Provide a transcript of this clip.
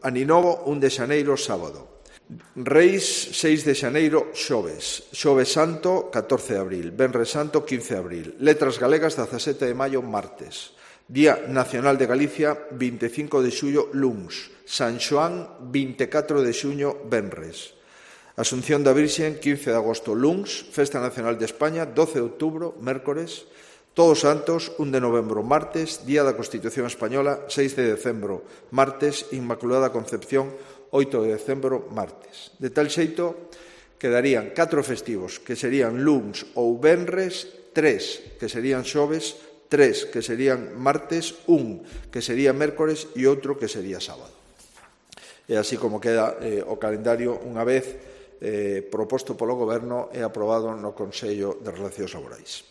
Aninovo, 1 de xaneiro, sábado. Reis, 6 de xaneiro, xoves. Xoves Santo, 14 de abril. Venres Santo, 15 de abril. Letras Galegas, 17 de maio, martes. Día Nacional de Galicia, 25 de xullo, luns. San Xoán, 24 de xuño, venres. Asunción da Virxen, 15 de agosto, luns. Festa Nacional de España, 12 de outubro, mércores. Todos Santos, 1 de novembro, martes. Día da Constitución Española, 6 de decembro, martes. Inmaculada Concepción, 8 de decembro, martes. De tal xeito, quedarían 4 festivos, que serían luns ou venres, 3 que serían xoves, 3 que serían martes, 1 que sería mércores e outro que sería sábado. E así como queda o calendario unha vez proposto polo Goberno e aprobado no Consello de Relacións Laborais.